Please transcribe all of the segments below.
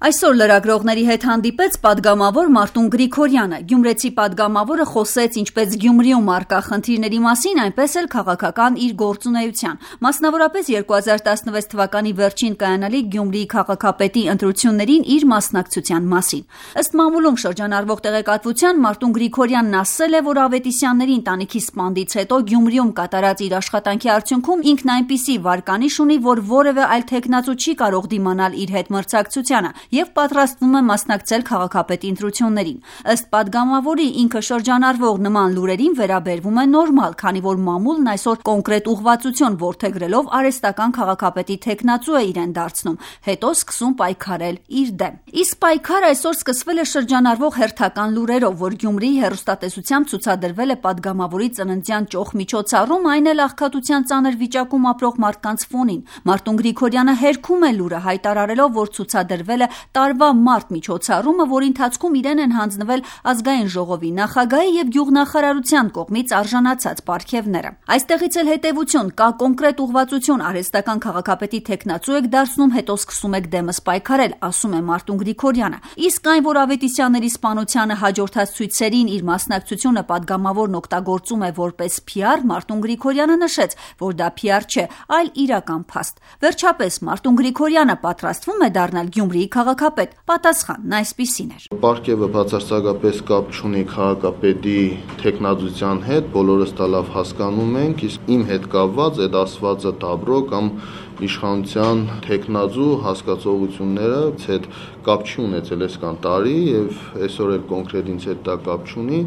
Այսօր լրագրողների հետ հանդիպեց պատգամավոր Մարտուն Գրիգորյանը։ Գյումրեցի պատգամավորը խոսեց ինչպես Գյումրիում առկա խնդիրների մասին, այնպես էլ քաղաքական իր գործունեության, մասնավորապես 2016 թվականի վերջին կայանալիք Գյումրիի քաղաքապետի ընտրություններին իր մասնակցության մասին։ Ըստ մամուլում շրջանառվող տեղեկատվության Մարտուն Գրիգորյանն ասել է, որ Ավետիսյանների ընտանիքի սպանդից հետո Գյումրիում կատարած իր աշխատանքի արդյունքում ինքն այնպիսի վարկանիշ ունի, որ որևէ այլ թեկնածու չի կարող դիմանալ իր հետ մրցակցությանը եւ պատրաստվում է մասնակցել քաղաքապետի ընտրություններին։ Ըստ պատգամավորի ինքը շրջանառվող նման լուրերին վերաբերվում է նորմալ, քանի որ մամուլն այսօր կոնկրետ ուղղվածություն որդեգրելով արհեստական քաղաքապետի թեկնածու է իրեն դարձնում, հետո սկսում պայքարել իր դեմ։ Իսկ պայքարը այսօր սկսվել է շրջանառվող հերթական լուրերով, որ Գյումրիի հեռուստատեսությամբ ցուցադրվել է պատգամավորի ծննդյան ճոխ միջոցառում, այն էլ աղքատության ծանր վիճակում ապրող մարդկանց ֆոնին։ Մարտուն Գրիգորյանը հերքում է լուրը, հայտարարելով, որ ցուցադրվել է տարվա մարտ միջոցառումը, որի ընթացքում իրեն են հանձնվել ազգային ժողովի նախագահի եւ գյուղնախարարության կողմից արժանացած պարգևները։ Այստեղից էլ հետեւություն կա կոնկրետ ուղղվածություն, արհեստական քաղաքապետի թեկնածու եք դարձնում, հետո սկսում եք դեմս պայքարել, ասում է Մարտուն Գրիգորյանը։ Իսկ այն, որ Ավետիսյանների սպանությանը հաջորդած ցույցերին իր մասնակցությունը պատգամավորն օգտագործում է որպես PR, Մարտուն Գրիգորյանը նշեց, որ դա PR չէ, այլ իրական փաստ։ Վերջապես Մարտուն Գրիգորյանը պատրաստվում է դառնալ Գյումրիի քաղաքապետ, պատասխանն այսպիսին էր։ Պարգևը բացարձակապես կապ չունի քաղաքապետի թեկնածության հետ, բոլորս դա լավ հասկանում ենք, իսկ իմ հետ կապված այդ ասվածը դաբրո կամ իշխանության թեկնածու հասկացողությունները հետ կապ չի ունեցել այսքան տարի եւ այսօր էլ կոնկրետ ինձ հետ դա կապ չունի,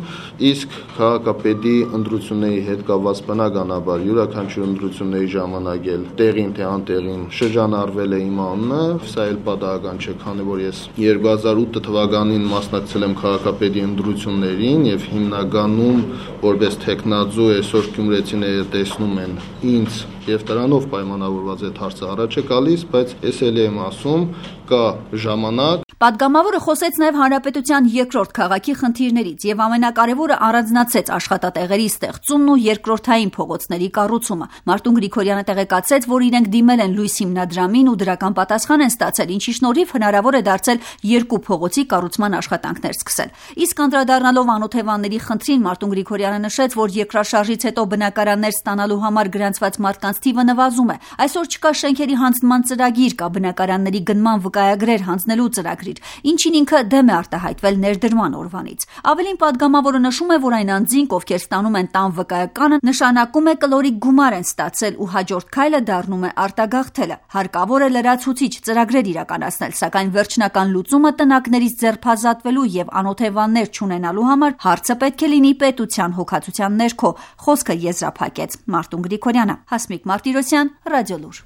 իսկ քաղաքապետի ընտրությունների հետ կապված բնականաբար յուրաքանչյուր ընտրությունների ժամանակ էլ տեղին թե անտեղին շրջանառվել է իմ անունը, սա էլ պատահական չէ, քանի որ ես 2008 թվականին մասնակցել եմ քաղաքապետի ընտրություններին եւ հիմնականում որպես թեկնածու այսօր գյումրեցիները տեսնում են ինձ եւ դրանով պայմանավորված այդ հարցը առաջ է գալիս, բայց ես էլ եմ ասում, կա ժամանակ։ Պատգամավորը խոսեց նաև հանրապետության երկրորդ քաղաքի խնդիրներից եւ ամենակարևորը առանձնացեց աշխատատեղերի ստեղծումն ու երկրորդային փողոցների կառուցումը։ Մարտուն Գրիգորյանը տեղեկացրեց, որ իրենք դիմել են Լույս հիմնադրամին ու դրական պատասխան են ստացել, ինչի շնորհիվ հնարավոր է դարձել երկու փողոցի կառուցման աշխատանքներ սկսել։ Իսկ անդրադառնալով անօթևանների խնդրին Մարտուն Գրիգորյանը նշեց, որ երկրաշարժից հետո բնակարաններ ստանալու համար գրանցված մարդկանց թիվը նվազում է։ Այսօր չկա շենքերի հանձնման ծրագիր, կա բնակարանների գնման վկայագրեր հանձնելու ծրագրեր, ինչին ինքը դեմ է արտահայտվել ներդրման օրվանից։ Ավելին պատգամավորը նշում է, որ այն անձինք, ովքեր ստանում են տան վկայականը, նշանակում է կլորիկ գումար են ստացել ու հաջորդ քայլը դառնում է արտագաղթելը։ Հարկավոր է լրացուցիչ ծրագրեր իրականացնել, սակայն վերջնական լուծումը տնակներից ձերբազատվելու եւ անօթևաններ չունենալու համար հարցը պետք է լինի պետության հոգացության ներքո, խոսքը եզրափակեց Մարտուն Գրիգորյանը։ Հասմիկ Մարտիրոսյան, Ռադիոլուր։